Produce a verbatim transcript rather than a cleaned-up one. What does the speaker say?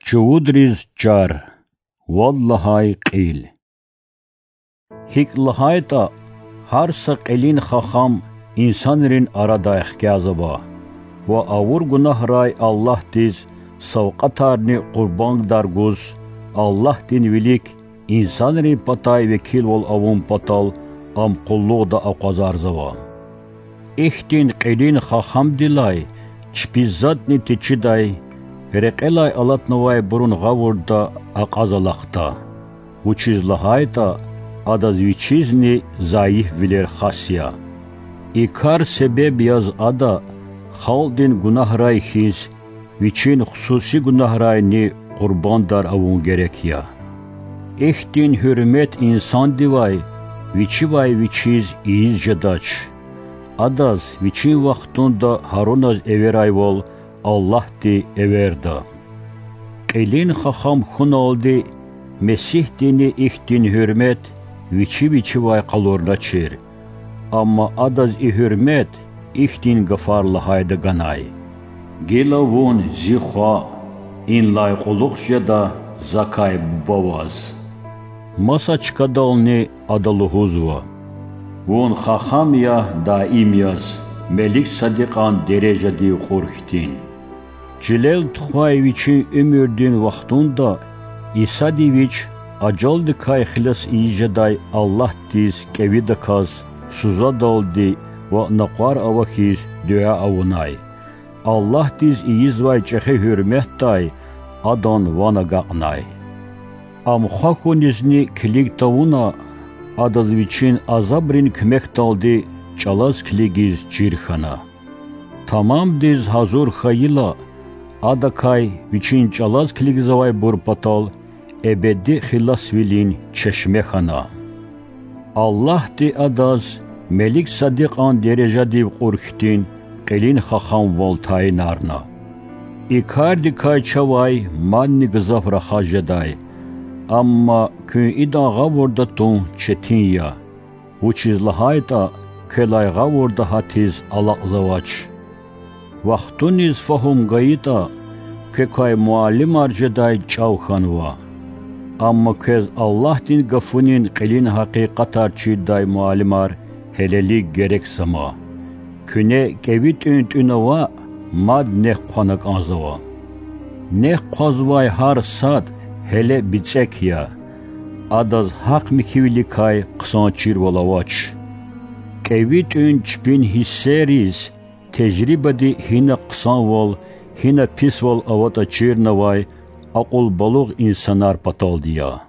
Чувудриз чар. Вад лагьай кьил. ГьикӀ лагьайтӀа, гьар са кьилин хахам инсанрин арадай хкязава ва авур гунагьрай Аллагьдиз савкьватарни къурбандар гуз, Аллагьдин вилик инсанрин патай векилвал авун патал ам къуллугъда акъвазарзава. Ихьтин кьилин хахамдилай чпиз затӀни течидай, рекьелай алатнавайбурун гъавурда акьаз алахъда, вучиз лагьайтӀа адаз вичизни зайифвилер хас я. И кар себеб яз ада, халкьдин гунагьрай хьиз, вичин хсуси гунагьрайни къурбандар авун герек я. Ихьтин гьуьрмет инсандивай вичивай вичиз ийиз жедач. Адаз вичин вахтунда гьаруназ эверайвал Аллагьди эверда. Кьилин хахам хьуналди Месигьдини ихьтин гьуьрмет вичи-вичивай къалурначир. Амма адаз и гьуьрмет ихьтин гафар лагьайда ганай: Гила вун зи хва, инлай кьулухъ жеда закай Буба ваз. Маса чкадални ада лугьузва: Вун хахам я даим яз, Мелик-Садикьан дережадив кьур хьтин. Чилел тухвай вичин уьмуьрдин вахтунда Исади Вич ажалдикай хилас ийиз жедай Аллагьдиз кӀевидаказ сузадалди ва накъвар ава хьиз дуьа авунай. Аллагьдиз ийизвай чӀехи гьуьрметдай адан ван агакьнай. Ам хва хьунизни килиг тавуна, адаз вичин азабрин куьмекдалди чӀалаз килигиз чир хьана. Тамамдиз гьазур хьайила, адакай вичин чӀалаз килигзавайбур патал эбеди хиласвилин чешме хьана. Аллагьди адаз Мелик-Садикьан дережадив кьур хьтин кьилин хахамвал тайинарна. И кардикай чавай мадни гзаф рахаз жедай, амма куьн идан гъавурда тун четин я, вучиз лагьайтӀа квелай гъавурда гьатиз алакьзавач. Вахтуниз фагьум гайитӀа, квекай муаллимар жедай чӀав хьанва. Амма квез Аллагьдин гафунин кьилин гьакъикъатар чирдай муаллимар гьелелиг герекзама. Куьне кӀеви тӀуьн-тӀуьна ваъ, мад нек хъвана кӀанзава. Нек хъвазвай гьар сад гьеле бицӀек я, адаз гьахъ михьивиликай хъсан чирвал авач. КӀеви тӀуьн чпин гьиссериз тежрибади гьина хъсанвал, гьина писвал аватӀа чирнавай акьулбалугъ инсанар паталди я.